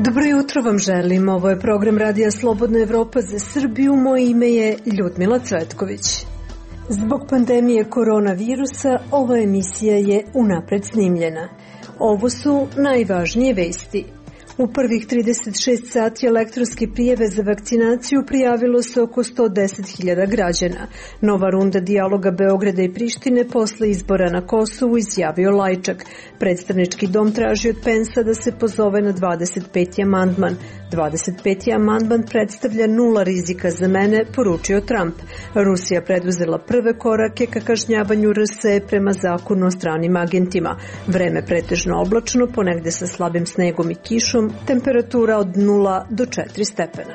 Dobro jutro vam želim, ovo je program Radija Slobodna Evropa za Srbiju, moje ime je Ljudmila Cvetković. Zbog pandemije koronavirusa ova emisija je unapred snimljena. Ovo su najvažnije vesti. U prvih 36 sati elektronske prijave za vakcinaciju prijavilo se oko 110.000 građana. Nova runda dijaloga Beograda i Prištine posle izbora na Kosovu, izjavio Lajčak. Predstavnički dom traži od Pensa da se pozove na 25. amandman. 25. amandman predstavlja nula rizika za mene, poručio Trump. Rusija preduzela prve korake ka kažnjavanju RS prema zakonu o stranim agentima. Vreme pretežno oblačno, ponegde sa slabim snegom i kišom, temperatura od 0 do 4 stepena.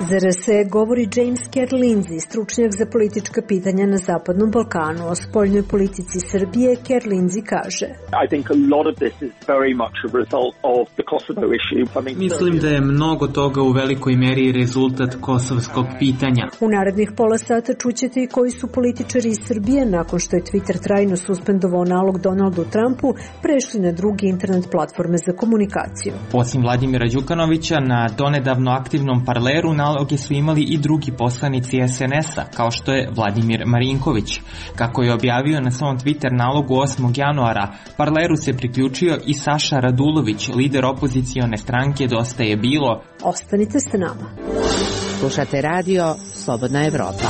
Za RS govori James Kerr Lindsay, stručnjak za politička pitanja na Zapadnom Balkanu. O spoljnoj politici Srbije Kerr Lindsay kaže: Mislim da je mnogo toga u velikoj meri rezultat kosovskog pitanja. U narednih pola sata čućete i koji su političari iz Srbije, nakon što je Twitter trajno suspendovao nalog Donaldu Trumpu, prešli na druge internet platforme za komunikaciju. Osim Vladimira Đukanovića, na donedavno aktivnom Parleru naloge su imali i drugi poslanici SNS-a, kao što je Vladimir Marinković. Kako je objavio na svom Twitter nalogu 8. januara, Parleru se priključio i Saša Radulović, lider opozicione stranke Dosta je bilo. Ostanite sa nama. Slušate radio Slobodna Evropa.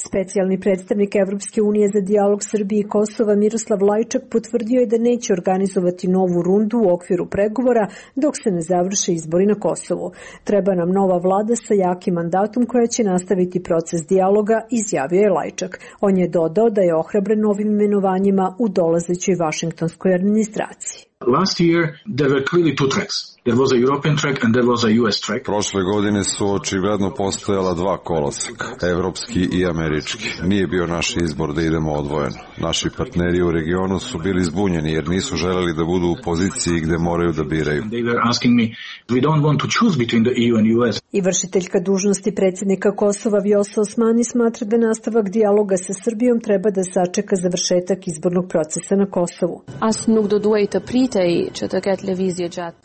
Specijalni predstavnik Evropske unije za dijalog Srbije i Kosova Miroslav Lajčak potvrdio je da neće organizovati novu rundu u okviru pregovora dok se ne završe izbori na Kosovu. Treba nam nova vlada sa jakim mandatom koja će nastaviti proces dijaloga, izjavio je Lajčak. On je dodao da je ohrabren novim imenovanjima u dolazećoj vašingtonskoj administraciji. Last year there were clearly two tracks. There was a European track and there was a US track. Prošle godine su očigledno postojala dva koloseka, evropski i američki. Nije bio naš izbor da idemo odvojeno. Naši partneri u regionu su bili zbunjeni jer nisu želeli da budu u poziciji gde moraju da biraju. They were asking me, we don't want to choose between the EU and US. I vršiteljka dužnosti predsjednika Kosova Vjosa Osmani smatra da nastavak dijaloga sa Srbijom treba da sačeka završetak izbornog procesa na Kosovu.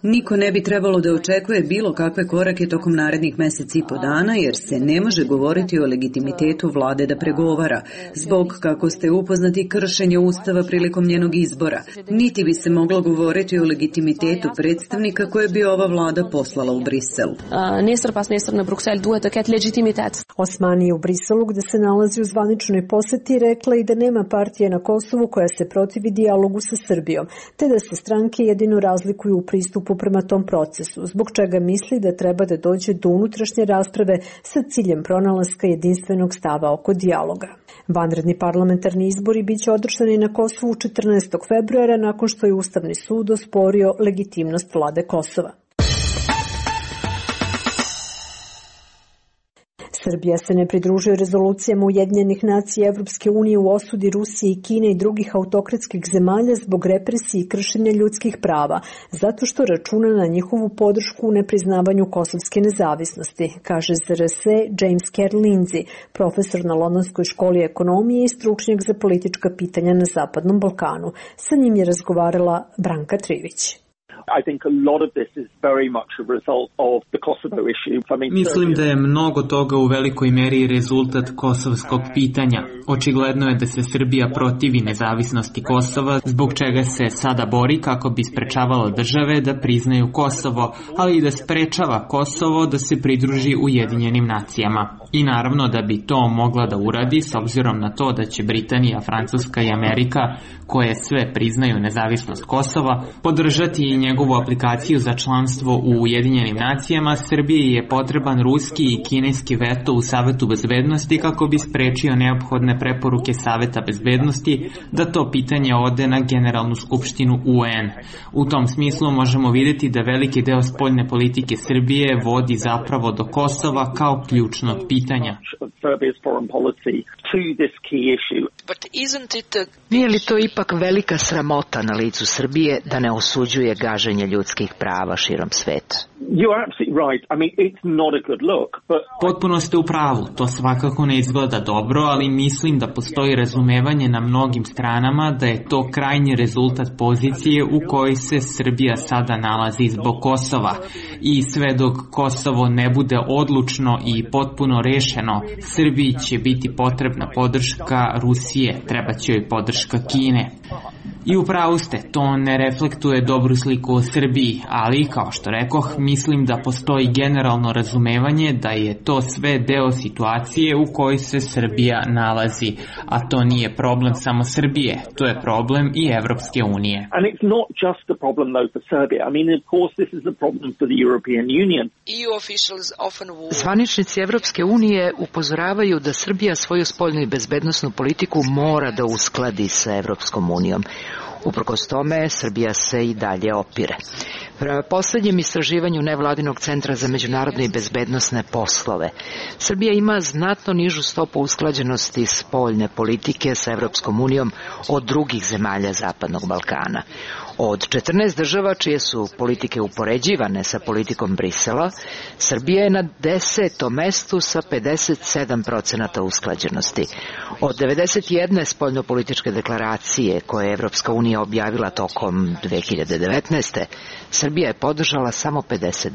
Niko ne bi trebalo da očekuje bilo kakve korake tokom narednih meseci i po dana, jer se ne može govoriti o legitimitetu vlade da pregovara, zbog, kako ste upoznati, kršenja ustava prilikom njenog izbora. Niti bi se moglo govoriti o legitimitetu predstavnika koje bi ova vlada poslala u Brisel. Osmani je u Briselu, gde se nalazi u zvaničnoj poseti, rekla i da nema partije na Kosovu koja se protivi dijalogu sa Srbijom, te da se stranke jedino razlikuju u pristupu prema tom procesu, zbog čega misli da treba da dođe do unutrašnje rasprave sa ciljem pronalaska jedinstvenog stava oko dijaloga. Vanredni parlamentarni izbori biće održani na Kosovu 14. februara nakon što je Ustavni sud osporio legitimnost vlade Kosova. Srbija se ne pridružuje rezolucijama Ujedinjenih nacija Evropske unije u osudi Rusije i Kine i drugih autokratskih zemalja zbog represije i kršenja ljudskih prava, zato što računa na njihovu podršku u nepriznavanju kosovske nezavisnosti, kaže za RS James Kerr Lindsay, profesor na Londonskoj školi ekonomije i stručnjak za politička pitanja na Zapadnom Balkanu. Sa njim je razgovarala Branka Trivić. Mislim da je mnogo toga u velikoj meri rezultat kosovskog pitanja. Očigledno je da se Srbija protivi nezavisnosti Kosova, zbog čega se sada bori kako bi sprečavalo države da priznaju Kosovo, ali i da sprečava Kosovo da se pridruži Ujedinjenim nacijama. I naravno da bi to mogla da uradi s obzirom na to da će Britanija, Francuska i Amerika, koje sve priznaju nezavisnost Kosova, podržati i njegovu aplikaciju za članstvo u Ujedinjenim nacijama. Srbiji je potreban ruski i kineski veto u Savetu bezbednosti kako bi sprečio neophodne preporuke Saveta bezbednosti da to pitanje ode na Generalnu skupštinu UN. U tom smislu možemo vidjeti da veliki deo spoljne politike Srbije vodi zapravo do Kosova kao ključnog pitanja. to this key issue. Nije li to ipak velika sramota na licu Srbije da ne osuđuje gaženje ljudskih prava širom sveta? You're absolutely right. I mean, it's not a good look, but... Potpuno ste u pravu, to svakako ne izgleda dobro, ali mislim da postoji razumevanje na mnogim stranama da je to krajnji rezultat pozicije u kojoj se Srbija sada nalazi zbog Kosova. I sve dok Kosovo ne bude odlučno i potpuno rešeno, Srbiji će biti potrebna podrška Rusije, treba će joj podrška Kine. I upravo ste, to ne reflektuje dobru sliku o Srbiji, ali, kao što rekoh, mislim da postoji generalno razumevanje da je to sve deo situacije u kojoj se Srbija nalazi, a to nije problem samo Srbije, to je problem i Evropske unije. And it's not just a problem though for Serbia. I mean, of course this is a problem for the European Union. Zvaničnici Evropske unije upozoravaju da Srbija svoju spoljnu i bezbednosnu politiku mora da uskladi sa Evropskom unijom. Uprkos tome, Srbija se i dalje opire. Prema poslednjem istraživanju Nevladinog centra za međunarodne i bezbednosne poslove, Srbija ima znatno nižu stopu usklađenosti spoljne politike sa Evropskom unijom od drugih zemalja Zapadnog Balkana. Od 14 država čije su politike upoređivane sa politikom Brisela, Srbija je na 10. mestu sa 57% usklađenosti. Od 91 spoljnopolitičke deklaracije koje je Evropska unija objavila tokom 2019. Srbija je podržala samo 52.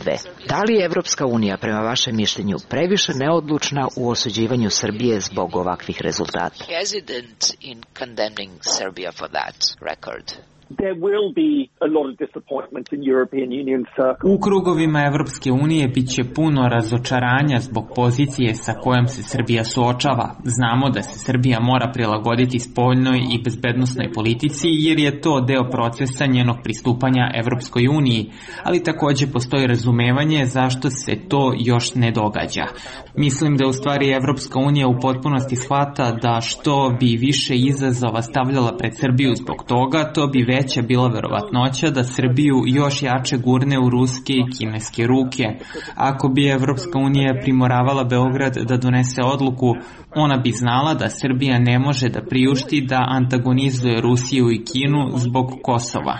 Da li je Evropska unija, prema vašem mišljenju, previše neodlučna u osuđivanju Srbije zbog ovakvih rezultata? There will be a lot of disappointment in European Union circles. U krugovima Evropske unije biće puno razočaranja zbog pozicije sa kojom se Srbija suočava. Znamo da se Srbija mora prilagoditi spoljnoj i bezbednosnoj politici jer je to deo procesa njenog pristupanja Evropskoj uniji, ali takođe postoji razumevanje zašto se to još ne događa. Mislim da u stvari Evropska unija u potpunosti shvata da što bi više izazova stavljala pred Srbiju zbog toga, to bi veća bila verovatnoća da Srbiju još jače gurne u ruske i kineske ruke. Ako bi Evropska unija primoravala Beograd da donese odluku, ona bi znala da Srbija ne može da priušti da antagonizuje Rusiju i Kinu zbog Kosova.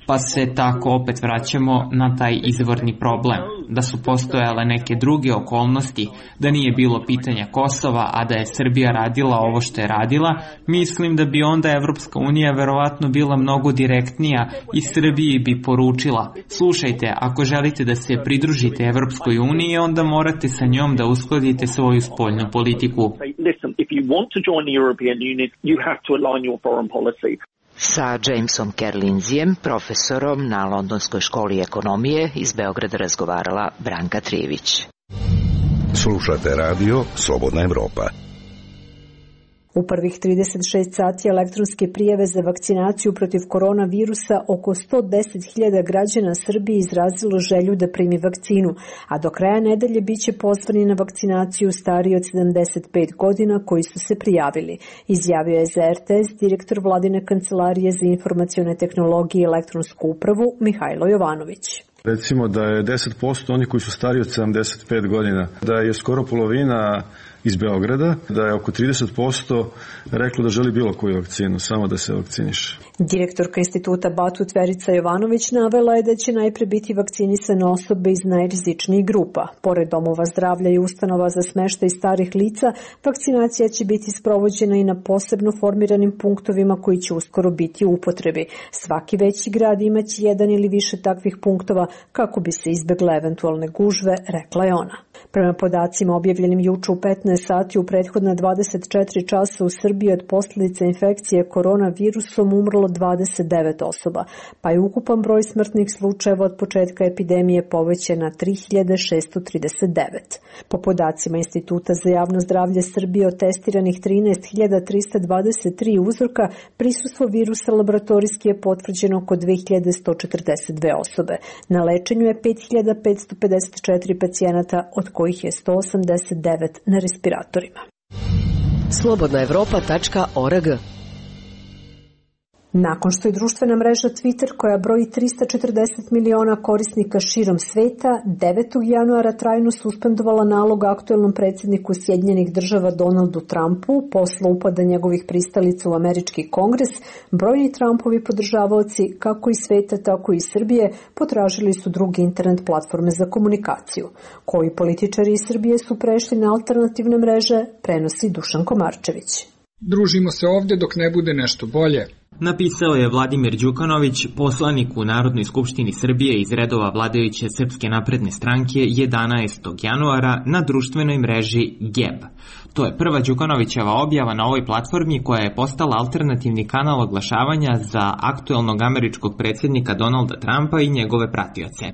Pa se tako opet vraćamo na taj izvorni problem. Da su postojale neke druge okolnosti, da nije bilo pitanja Kosova, a da je Srbija radila ovo što je radila, mislim da bi onda Evropska unija verovatno bila mnogo direktnija i Srbiji bi poručila: slušajte, ako želite da se pridružite Evropskoj uniji, onda morate sa njom da uskladite svoju spoljnu politiku. Listen, if you want to join the European Union, you have to align your foreign policy. Sa Jamesom Kerlinzijem, profesorom na Londonskoj školi ekonomije, iz Beograda razgovarala Branka Trijević. Slušate radio Slobodna Evropa. U prvih 36 sati elektronske prijave za vakcinaciju protiv koronavirusa oko 110.000 građana Srbije izrazilo želju da primi vakcinu, a do kraja nedelje biće pozvani na vakcinaciju stariji od 75 godina koji su se prijavili, izjavio je za RTS direktor Vladine kancelarije za informacione tehnologije i elektronsku upravu Mihajlo Jovanović. Recimo da je 10% oni koji su stariji od 75 godina, da je skoro polovina iz Beograda, da je oko 30% reklo da želi bilo koju vakcinu, samo da se vakciniše. Direktorka instituta Batut Verica Jovanović navela je da će najpre biti vakcinisane osobe iz najrizičnijih grupa. Pored domova zdravlja i ustanova za smeštaj starih lica, vakcinacija će biti sprovođena i na posebno formiranim punktovima koji će uskoro biti u upotrebi. Svaki veći grad imaće jedan ili više takvih punktova kako bi se izbegle eventualne gužve, rekla je ona. Prema podacima objavljenim juče u 15 sati u prethodna 24 časa u Srbiji od posljedica infekcije koronavirusom umrlo 29 osoba, pa je ukupan broj smrtnih slučajeva od početka epidemije povećan na 3639. Po podacima Instituta za javno zdravlje Srbije od testiranih 13.323 uzorka, prisustvo virusa laboratorijski je potvrđeno oko 2142 osobe. Na lečenju je 5554 pacijenata, od kojih je 189 na respiratorima. Slobodnaevropa.org. Nakon što je društvena mreža Twitter, koja broji 340 miliona korisnika širom sveta, 9. januara trajno suspendovala nalog aktuelnom predsjedniku Sjedinjenih država Donaldu Trumpu posle upada njegovih pristalica u američki kongres, brojni Trumpovi podržavaoci, kako iz sveta, tako i iz Srbije, potražili su druge internet platforme za komunikaciju. Koji političari iz Srbije su prešli na alternativne mreže, prenosi Dušan Komarčević. Družimo se ovde dok ne bude nešto bolje. Napisao je Vladimir Đukanović, poslanik u Narodnoj skupštini Srbije iz redova vladajuće Srpske napredne stranke 11. januara na društvenoj mreži Geb. To je prva Đukanovićeva objava na ovoj platformi koja je postala alternativni kanal oglašavanja za aktuelnog američkog predsjednika Donalda Trumpa i njegove pratioce.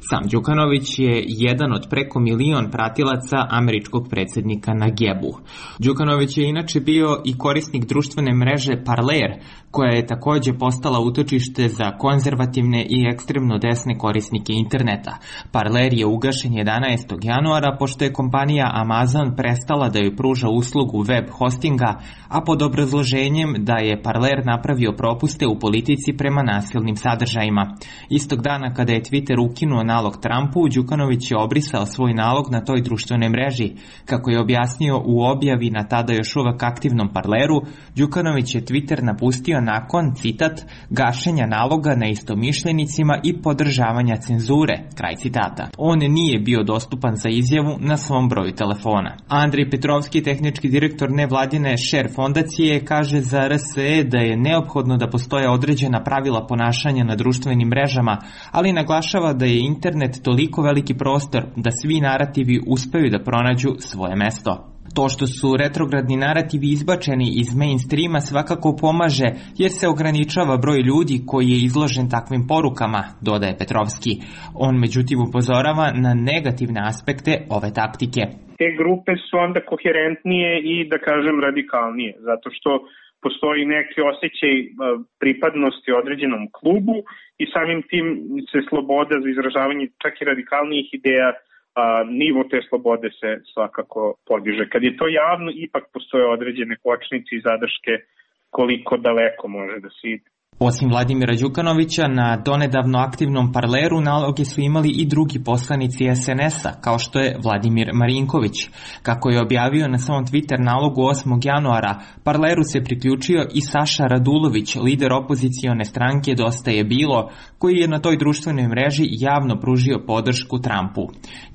Sam Đukanović je jedan od preko 1 milion pratilaca američkog predsjednika na Gebu. Đukanović je inače bio i korisnik društvene mreže Parler, koja je takođe postala utočište za konzervativne i ekstremno desne korisnike interneta. Parler je ugašen 11. januara pošto je kompanija Amazon prestala da joj pruža uslugu web hostinga, a pod obrazloženjem da je Parler napravio propuste u politici prema nasilnim sadržajima. Istog dana kada je Twitter ukinuo nalog Trumpu, Đukanović je obrisao svoj nalog na toj društvenoj mreži. Kako je objasnio u objavi na tada još uvek aktivnom Parleru, Đukanović je Twitter napustio nakon, citat, gašenja naloga na istomišljenicima i podržavanja cenzure, kraj citata. On nije bio dostupan za izjavu na svom broju telefona. Andrej Petrovski, tehnički direktor nevladine Share fondacije, kaže za RSE da je neophodno da postoje određena pravila ponašanja na društvenim mrežama, ali naglašava da je internet toliko veliki prostor da svi narativi uspeju da pronađu svoje mesto. To što su retrogradni narativi izbačeni iz mainstreama svakako pomaže jer se ograničava broj ljudi koji je izložen takvim porukama, dodaje Petrovski. On međutim upozorava na negativne aspekte ove taktike. Te grupe su onda koherentnije i da kažem radikalnije, zato što postoji neki osjećaj pripadnosti određenom klubu i samim tim se sloboda za izražavanje čak i radikalnijih ideja, nivo te slobode se svakako podiže. Kad je to javno, ipak postoje određene kočnice i zadrške koliko daleko može da se ide. Osim Vladimira Đukanovića, na donedavno aktivnom Parleru naloge su imali i drugi poslanici SNS-a, kao što je Vladimir Marinković. Kako je objavio na svom Twitter nalogu 8. januara, Parleru se priključio i Saša Radulović, lider opozicione stranke Dosta je bilo, koji je na toj društvenoj mreži javno pružio podršku Trumpu.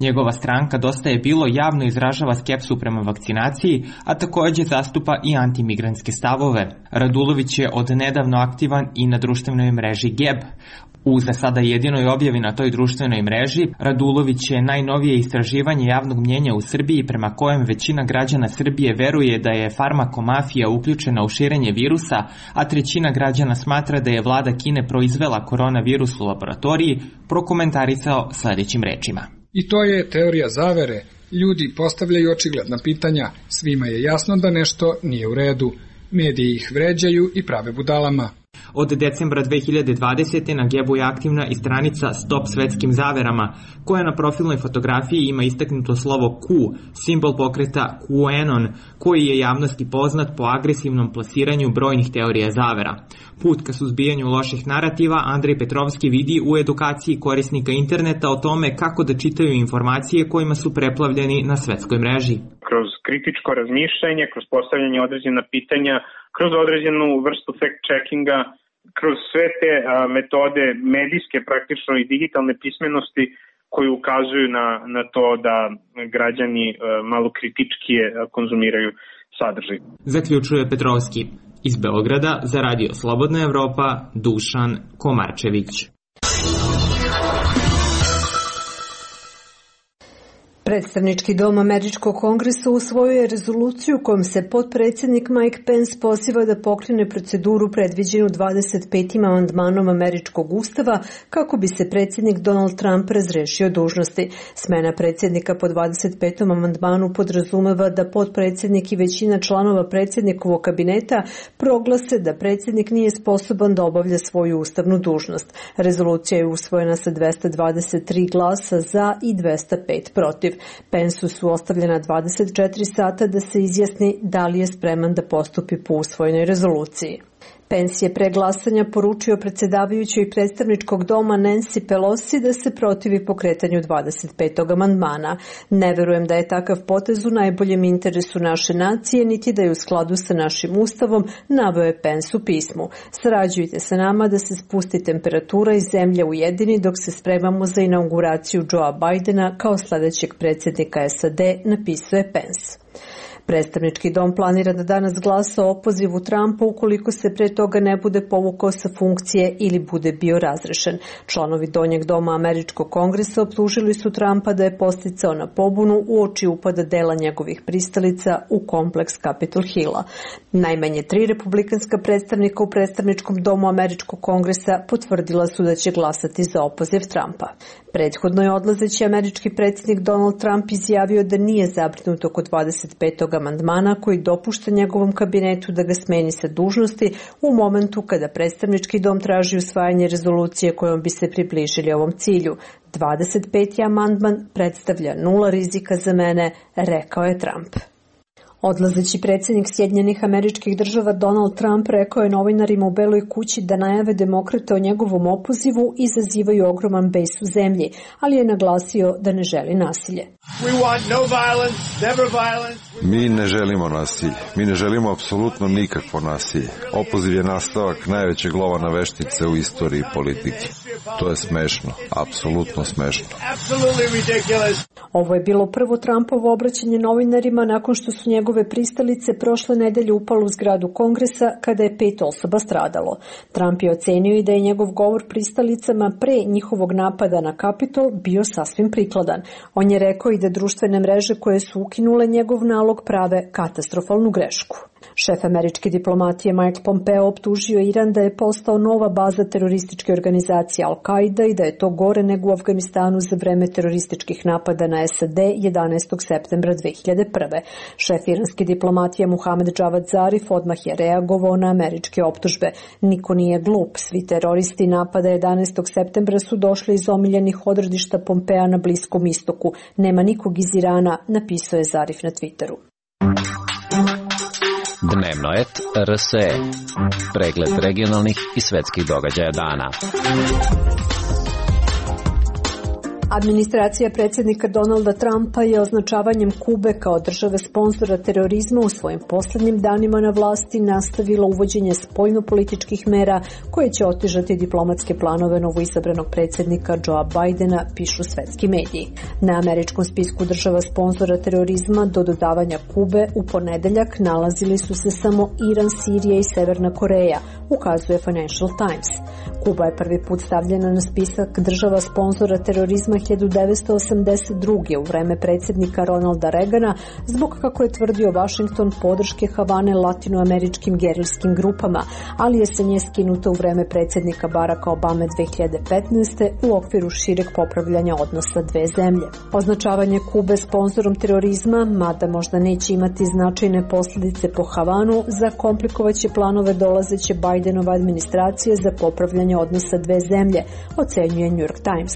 Njegova stranka Dosta je bilo javno izražava skepsu prema vakcinaciji, a takođe zastupa i antimigrantske stavove. Radulović je od nedavno aktivan i na društvenoj mreži Geb. U za sada jedinoj objavi na toj društvenoj mreži, Radulović je najnovije istraživanje javnog mnjenja u Srbiji prema kojem većina građana Srbije veruje da je farmakomafija uključena u širenje virusa, a 1/3 građana smatra da je vlada Kine proizvela koronavirus u laboratoriji, prokomentarisao sledećim rečima. I to je teorija zavere. Ljudi postavljaju očigledna pitanja. Svima je jasno da nešto nije u redu. Mediji ih vređaju i prave budalama. Od decembra 2020. na Gebu je aktivna i stranica Stop svetskim zaverama, koja na profilnoj fotografiji ima istaknuto slovo Q, simbol pokreta QAnon, koji je javnosti poznat po agresivnom plasiranju brojnih teorija zavera. Put ka suzbijanju loših narativa Andrej Petrovski vidi u edukaciji korisnika interneta o tome kako da čitaju informacije kojima su preplavljeni na svetskoj mreži. Kroz kritičko razmišljanje, kroz postavljanje određena pitanja, kroz određenu vrstu fact-checkinga, kroz sve te metode medijske praktično i digitalne pismenosti koji ukazuju na to da građani malo kritičkije konzumiraju sadržaj. Zaključuje Petrovski. Iz Beograda za Radio Slobodna Evropa, Dušan Komarčević. Predstavnički dom Američkog kongresa usvojio je rezoluciju kojom se potpredsjednik Mike Pence poziva da pokrene proceduru predviđenu 25. amandmanom Američkog ustava kako bi se predsjednik Donald Trump razrešio dužnosti. Smena predsjednika po 25. amandmanu podrazumeva da potpredsjednik i većina članova predsjednikovog kabineta proglase da predsjednik nije sposoban da obavlja svoju ustavnu dužnost. Rezolucija je usvojena sa 223 glasa za i 205 protiv. Pensu su ostavljena 24 sata da se izjasni da li je spreman da postupi po usvojenoj rezoluciji. Pence je pre glasanja poručio predsjedavajućoj predstavničkog doma Nancy Pelosi da se protivi pokretanju 25. amandmana. Ne verujem da je takav potez u najboljem interesu naše nacije, niti da je u skladu sa našim ustavom, naveo je Pence u pismu. Sarađujte sa nama da se spusti temperatura i zemlja ujedini dok se spremamo za inauguraciju Joea Bidena kao sledećeg predsjednika SAD, napisao je Pence. Predstavnički dom planira da danas glasa o opozivu Trumpa ukoliko se pre toga ne bude povukao sa funkcije ili bude bio razrešen. Članovi donjeg doma Američkog kongresa optužili su Trumpa da je podsticao na pobunu uoči upada dela njegovih pristalica u kompleks Capitol Hilla. Najmanje 3 republikanska predstavnika u predstavničkom domu Američkog kongresa potvrdila su da će glasati za opoziv Trumpa. Prethodno je odlazeći američki predsjednik Donald Trump izjavio da nije zabrinut oko 25. amandmana koji dopušta njegovom kabinetu da ga smeni sa dužnosti u momentu kada predstavnički dom traži usvajanje rezolucije kojom bi se približili ovom cilju. 25. amandman predstavlja nula rizika za mene, rekao je Trump. Odlazeći predsjednik Sjedinjenih Američkih Država Donald Trump rekao je novinarima u Beloj kući da najave demokrata o njegovom opozivu izazivaju ogroman bes u zemlji, ali je naglasio da ne želi nasilje. Mi ne želimo nasilje. Mi ne želimo apsolutno nikakvo nasilje. Opoziv je nastavak najvećeg lova na veštice u istoriji politike. To je smešno, apsolutno smešno. Ovo je bilo prvo Trumpovo obraćanje novinarima nakon što su njegove pristalice prošle nedelje upale u zgradu Kongresa kada je 5 osoba stradalo. Trump je ocenio i da je njegov govor pristalicama pre njihovog napada na Kapitol bio sasvim prikladan. On je rekao i da društvene mreže koje su ukinule njegov nalog prave katastrofalnu grešku. Šef američke diplomatije Mike Pompeo optužio Iran da je postao nova baza terorističke organizacije Al-Qaida i da je to gore nego u Afganistanu za vreme terorističkih napada na SAD 11. septembra 2001. Šef iranske diplomatije Muhamed Javad Zarif odmah je reagovao na američke optužbe. Niko nije glup, svi teroristi napada 11. septembra su došli iz omiljenih odredišta Pompea na Bliskom istoku. Nema nikog iz Irana, napisao je Zarif na Twitteru. Dnevnoet RSE. Pregled regionalnih i svetskih događaja dana. Administracija predsjednika Donalda Trumpa je označavanjem Kube kao države sponzora terorizma u svojim poslednjim danima na vlasti nastavila uvođenje spoljnopolitičkih mera koje će otežati diplomatske planove novoizabranog predsjednika Joea Bidena, pišu svetski mediji. Na američkom spisku država sponzora terorizma do dodavanja Kube u ponedeljak nalazili su se samo Iran, Sirija i Severna Koreja, ukazuje Financial Times. Kuba je prvi put stavljena na spisak država sponzora terorizma 1982. u vreme predsjednika Ronalda Reagana zbog, kako je tvrdio Washington, podrške Havane latinoameričkim gerilskim grupama, ali je sa nje skinuta u vreme predsjednika Baracka Obame 2015. u okviru šireg popravljanja odnosa dve zemlje. Označavanje Kube sponzorom terorizma, mada možda neće imati značajne posljedice po Havanu, zakomplikovaće planove dolazeće Bidenova administracije za popravljanje odnosa dve zemlje, ocenjuje New York Times.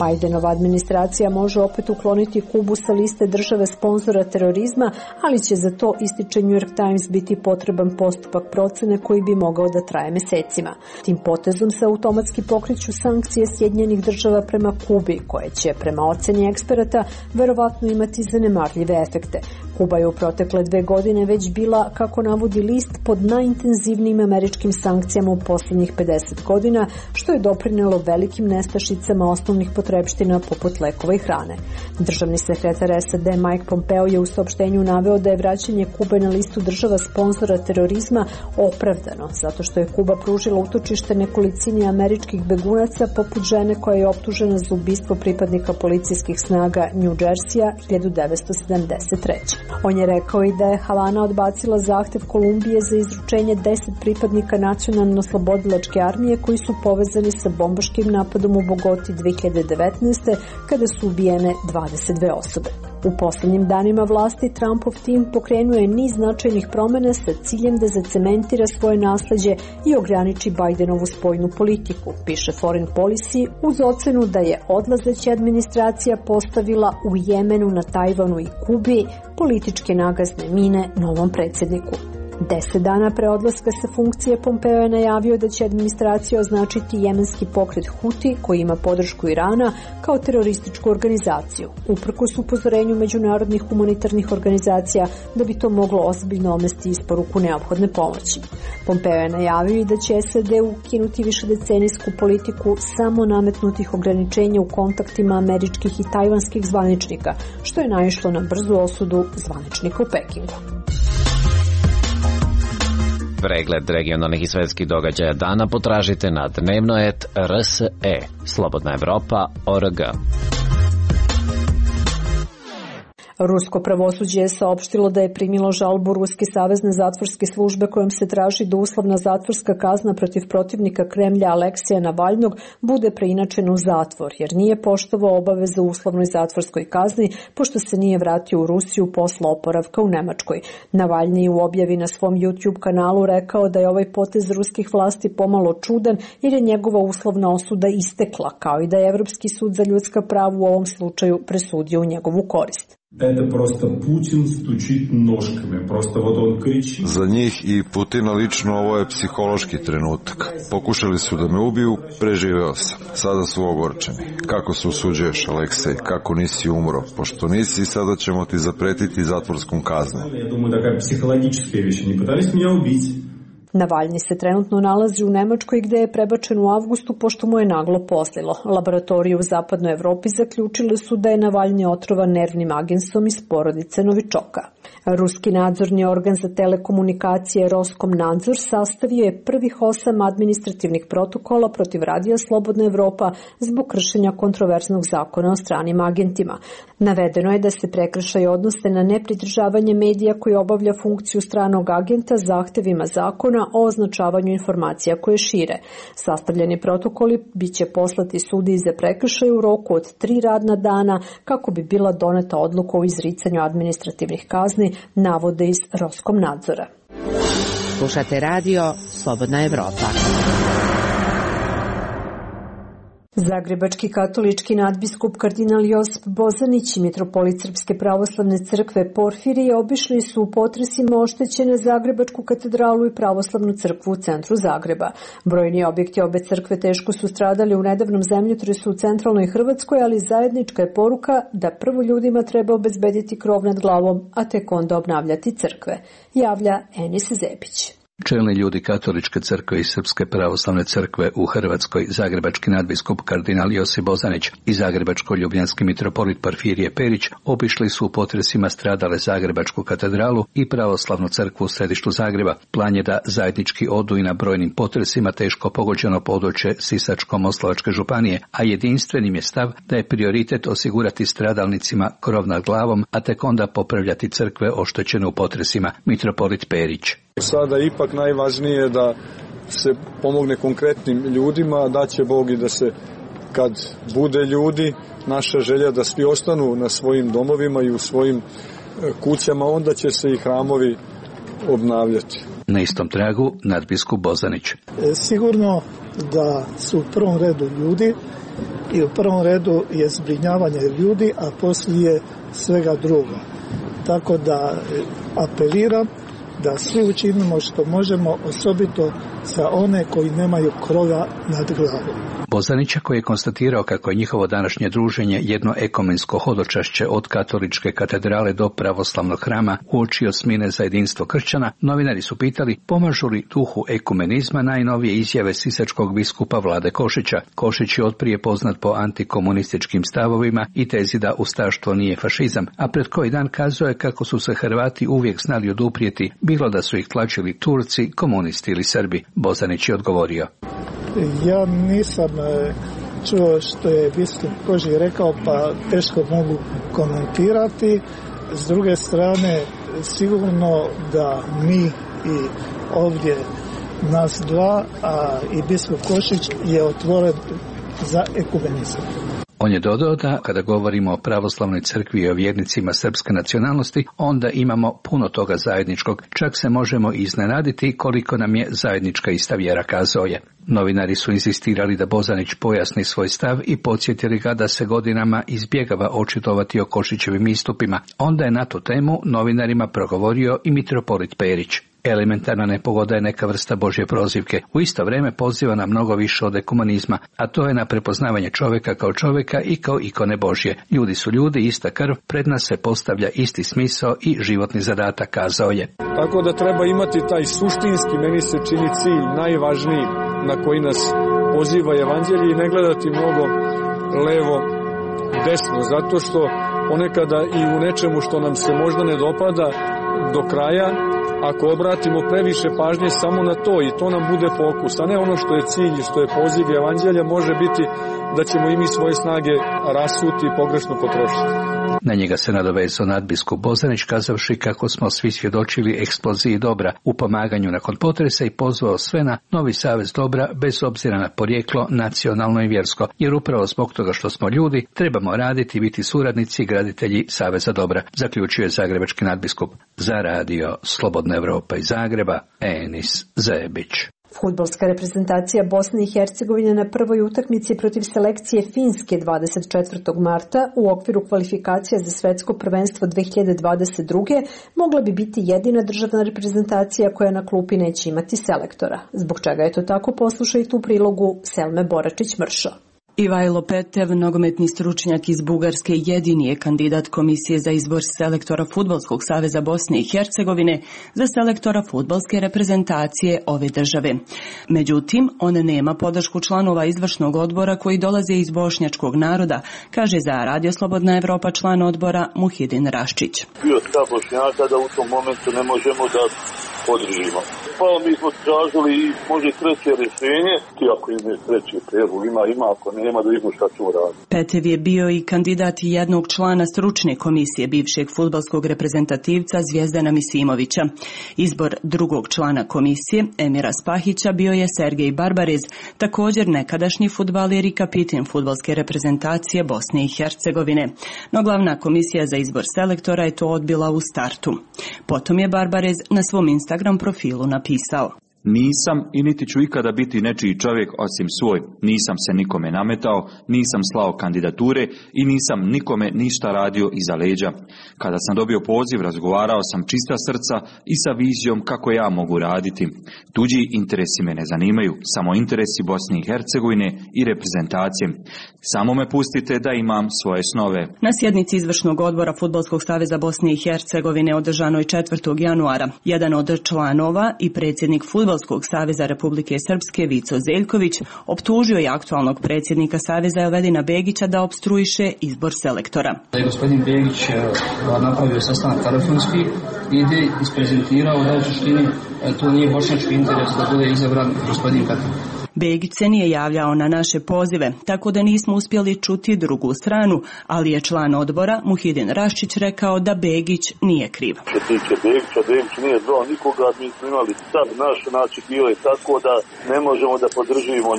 Bidenova administracija može opet ukloniti Kubu sa liste države sponzora terorizma, ali će za to, ističe New York Times, biti potreban postupak procene koji bi mogao da traje mesecima. Tim potezom se automatski pokreću sankcije Sjedinjenih Država prema Kubi, koje će, prema oceni eksperata, verovatno imati zanemarljive efekte. Kuba je u protekle 2 godine već bila, kako navodi list, pod najintenzivnijim američkim sankcijama u poslednjih 50 godina, što je doprinelo velikim nestašicama osnovnih potrepština poput lekova i hrane. Državni sekretar SAD Mike Pompeo je u saopštenju naveo da je vraćanje Kube na listu država sponzora terorizma opravdano, zato što je Kuba pružila utočište nekolicini američkih begunaca poput žene koja je optužena za ubistvo pripadnika policijskih snaga New Jersey-a 1973. On je rekao i da je Havana odbacila zahtev Kolumbije za izručenje 10 pripadnika nacionalno-slobodilačke armije koji su povezani sa bombaškim napadom u Bogoti 2019. kada su ubijene 22 osobe. U posljednjim danima vlasti Trumpov tim pokrenuo je niz značajnih promjena sa ciljem da zacementira svoje nasleđe i ograniči Bidenovu spoljnu politiku, piše Foreign Policy, uz ocenu da je odlazeća administracija postavila u Jemenu, na Tajvanu i Kubi političke nagazne mine novom predsjedniku. 10 dana pre odlaska sa funkcije Pompeo je najavio da će administracija označiti jemenski pokret Huti, koji ima podršku Irana, kao terorističku organizaciju, uprkos upozorenju međunarodnih humanitarnih organizacija da bi to moglo ozbiljno omesti isporuku neophodne pomoći. Pompeo je najavio i da će SAD ukinuti višedecenijsku politiku samo nametnutih ograničenja u kontaktima američkih i tajvanskih zvaničnika, što je naišlo na brzu osudu zvaničnika u Pekingu. Pregled regionalnih i svetskih događaja dana potražite na dnevno.rs.e, Slobodna Evropa.org. Rusko pravosuđe je saopštilo da je primilo žalbu Ruske savezne zatvorske službe kojom se traži da uslovna zatvorska kazna protiv protivnika Kremlja Aleksija Navalnog bude preinačena u zatvor, jer nije poštovao obaveze u uslovnoj zatvorskoj kazni, pošto se nije vratio u Rusiju posle oporavka u Nemačkoj. Navalni je u objavi na svom YouTube kanalu rekao da je ovaj potez ruskih vlasti pomalo čudan, jer je njegova uslovna osuda istekla, kao i da je Evropski sud za ljudska prava u ovom slučaju presudio u njegovu korist. Это просто Путин стучит ножками, просто вот он кричит. Za njih i Putina lično ovo je psihološki trenutak. Pokušali su da me ubiju, preživeo sam. Sada su ogorčeni. Kako se usuđuješ, Aleksej? Kako nisi umro? Pošto nisi, sada ćemo ti zapretiti zatvorskom kaznom. Я думаю, такая психологическая вещь. Они пытались меня убить. Navalni se trenutno nalazi u Nemačkoj gde je prebačen u avgustu pošto mu je naglo poslilo. Laboratorije u zapadnoj Evropi zaključile su da je Navalni otrovan nervnim agensom iz porodice Novičoka. Ruski nadzorni organ za telekomunikacije Roskomnadzor sastavio je prvih 8 administrativnih protokola protiv Radija Slobodna Evropa zbog kršenja kontroverznog zakona o stranim agentima. Navedeno je da se prekršaji odnose na nepridržavanje medija koji obavlja funkciju stranog agenta zahtevima zakona o označavanju informacija koje šire. Sastavljeni protokoli biće poslati sudiji za prekršaj u roku od 3 radna dana kako bi bila doneta odluka o izricanju administrativnih kazni, navode iz Roskomnadzora. Slušate radio Slobodna Evropa. Zagrebački katolički nadbiskup kardinal Josip Bozanić i mitropolit Srpske pravoslavne crkve Porfirije obišli su u potresima oštećene Zagrebačku katedralu i pravoslavnu crkvu u centru Zagreba. Brojni objekti obe crkve teško su stradali u nedavnom zemljotresu u centralnoj Hrvatskoj, ali zajednička je poruka da prvo ljudima treba obezbediti krov nad glavom, a tek onda obnavljati crkve, javlja Enis Zepić. Čelni ljudi Katoličke crkve i Srpske pravoslavne crkve u Hrvatskoj, zagrebački nadbiskup kardinal Josip Bozanić i zagrebačko-ljubljanski mitropolit Porfirije Perić obišli su u potresima stradale Zagrebačku katedralu i pravoslavnu crkvu u središtu Zagreba. Plan je da zajednički odu i na brojnim potresima teško pogođeno područje Sisačko-moslavačke županije, a jedinstvenim je stav da je prioritet osigurati stradalnicima krov nad glavom, a tek onda popravljati crkve oštećene u potresima, mitropolit Perić. Sada ipak najvažnije je da se pomogne konkretnim ljudima, da će Bog i da se kad bude ljudi, naša želja da svi ostanu na svojim domovima i u svojim kućama, onda će se i hramovi obnavljati. Na istom tragu nadbiskup Bozanić. Sigurno da su u prvom redu ljudi i u prvom redu je zbrinjavanje ljudi, a poslije svega drugo. Tako da apeliram da svi učinimo što možemo, osobito za one koji nemaju krova nad glavom. Bozanića, koji je konstatirao kako je njihovo današnje druženje jedno ekumensko hodočašće od katoličke katedrale do pravoslavnog hrama uoči osmine za jedinstvo kršćana, novinari su pitali pomažu li duhu ekumenizma najnovije izjave sisačkog biskupa Vlade Košića. Košić je otprije poznat po antikomunističkim stavovima i tezi da ustaštvo nije fašizam, a pred koji dan kazao je kako su se Hrvati uvijek znali oduprijeti, bilo da su ih tlačili Turci, komunisti ili Srbi. Bozanić je odgovorio. Ja nisam čuo što je biskup Kožić rekao, pa teško mogu komentirati. S druge strane, sigurno da mi i ovdje nas dva, a i biskup Košić je otvoren za ekumenizam. On je dodao da, kada govorimo o pravoslavnoj crkvi i o vjernicima srpske nacionalnosti, onda imamo puno toga zajedničkog, čak se možemo iznenaditi koliko nam je zajednička ista vjera, kazao je. Novinari su insistirali da Bozanić pojasni svoj stav i podsjetili ga da se godinama izbjegava očitovati o Košićevim istupima. Onda je na tu temu novinarima progovorio i mitropolit Perić. Elementarna nepogoda je neka vrsta Božje prozivke. U isto vrijeme poziva na mnogo više od ekumenizma, a to je na prepoznavanje čovjeka kao čovjeka i kao ikone Božje. Ljudi su ljudi, ista krv, pred nas se postavlja isti smisao i životni zadatak, kazao je. Tako da treba imati taj suštinski, meni se čini cilj, najvažniji na koji nas poziva evanđelje i ne gledati mnogo levo, desno, zato što ponekada i u nečemu što nam se možda ne dopada do kraja, ako obratimo previše pažnje samo na to i to nam bude fokus, a ne ono što je cilj i što je poziv evanđelja, može biti da ćemo i mi svoje snage rasuti i pogrešno potrošiti. Na njega se nadovezao nadbiskup Bozanić, kazavši kako smo svi svjedočili eksploziji dobra u pomaganju nakon potresa i pozvao sve na novi savez dobra bez obzira na porijeklo, nacionalno i vjersko, jer upravo zbog toga što smo ljudi trebamo raditi i biti suradnici i graditelji saveza dobra, zaključio je zagrebački nadbiskup. Za radio Slobodna Evropa iz Zagreba, Enis Zebić. Fudbalska reprezentacija Bosne i Hercegovine na prvoj utakmici protiv selekcije Finske 24. marta u okviru kvalifikacija za svetsko prvenstvo 2022. mogla bi biti jedina državna reprezentacija koja na klupi neće imati selektora. Zbog čega je to tako, poslušajte u prilogu Selme Boračić-Mršo. Ivajlo Petev, nogometni stručnjak iz Bugarske, jedini je kandidat Komisije za izbor selektora Fudbalskog saveza Bosne i Hercegovine za selektora fudbalske reprezentacije ove države. Međutim, on nema podršku članova izvršnog odbora koji dolaze iz bošnjačkog naroda, kaže za Radio Slobodna Evropa član odbora Muhidin Raščić. Bio stav Bošnjaka da u tom momentu ne možemo da podržimo. Pa mi smo tražili i može treće rješenje, ti ako ima treći predlog, ima, ako nema da vidimo šta ćemo raditi. Petev je bio i kandidat jednog člana stručne komisije bivšeg fudbalskog reprezentativca Zvijezdana Misimovića. Izbor drugog člana komisije, Emira Spahića, bio je Sergej Barbarez, također nekadašnji fudbaler i kapitan fudbalske reprezentacije Bosne i Hercegovine. No glavna komisija za izbor selektora je to odbila u startu. Potom je Barbarez na svom Instagram profilu napisao: Nisam i niti ću ikada biti nečiji čovjek osim svoj. Nisam se nikome nametao, nisam slao kandidature i nisam nikome ništa radio iza leđa. Kada sam dobio poziv, razgovarao sam čista srca i sa vizijom kako ja mogu raditi. Tuđi interesi me ne zanimaju, samo interesi Bosne i Hercegovine i reprezentacije. Samo me pustite da imam svoje snove. Na sjednici izvršnog odbora Fudbalskog saveza Bosne i Hercegovine održanoj 4. januara, jedan od članova i predsjednik Fudbalskog saveza Republike Srpske Vico Zeljković optužio je aktualnog predsjednika saveza Elvedina Begića da opstruiše izbor selektora. Gospodin Begić napravio sastanak telefonski i isprezentirao da u suštini to nije bošnjački interes da bude izabran gospodin Petar. Begić se nije javljao na naše pozive, tako da nismo uspjeli čuti drugu stranu, ali je član odbora Muhidin Raščić rekao da Begić nije kriv. Što tiče Begića, Begić nije zvao nikoga, mi smo imali stav naš, bilo je tako da ne možemo da podržimo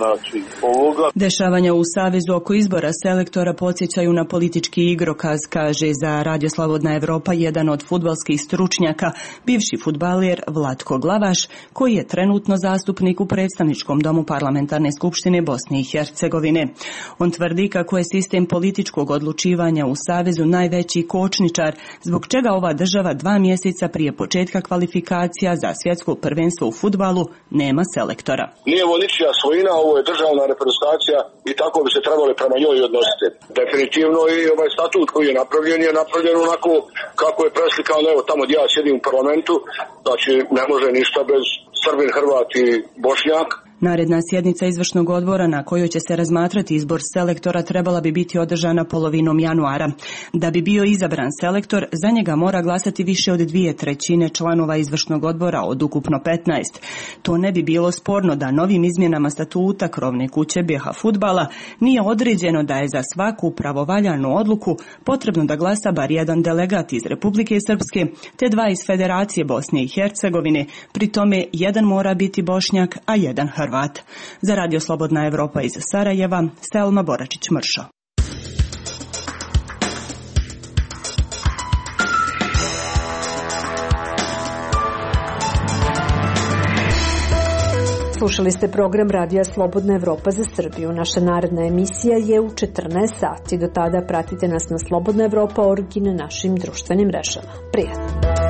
ovoga. Dešavanja u Savezu oko izbora selektora podsjećaju na politički igrokaz, kaže za Radio Slobodna Evropa jedan od fudbalskih stručnjaka, bivši fudbaler Vlatko Glavaš, koji je trenutno zastupnik u predstavničkom domu Parlamentarne skupštine Bosne i Hercegovine. On tvrdi kako je sistem političkog odlučivanja u Savezu najveći kočničar, zbog čega ova država 2 mjeseca prije početka kvalifikacija za svjetsko prvenstvo u fudbalu nema selektora. Nije ovo ničija svojina, ovo je državna reprezentacija i tako bi se trebali prema njoj odnositi. Definitivno i ovaj statut koji je napravljen onako kako je preslikano, evo tamo gdje ja sjedim u parlamentu, znači ne može ništa bez Srbin, Hrvat i Bošnjak. Naredna sjednica izvršnog odbora na kojoj će se razmatrati izbor selektora trebala bi biti održana polovinom januara. Da bi bio izabran selektor, za njega mora glasati više od 2/3 članova izvršnog odbora od ukupno 15. To ne bi bilo sporno da novim izmjenama statuta krovne kuće BiH fudbala nije određeno da je za svaku pravovaljanu odluku potrebno da glasa bar jedan delegat iz Republike Srpske te 2 iz Federacije Bosne i Hercegovine, pri tome jedan mora biti Bošnjak, a jedan Hrvat. Za Radio Slobodna Evropa iz Sarajeva, Selma Boračić-Mršo. Slušali ste program Radija Slobodna Evropa za Srbiju. Naša naredna emisija je u 14 sati. Do tada pratite nas na Slobodna Evropa.org i na našim društvenim mrežama. Prijatno!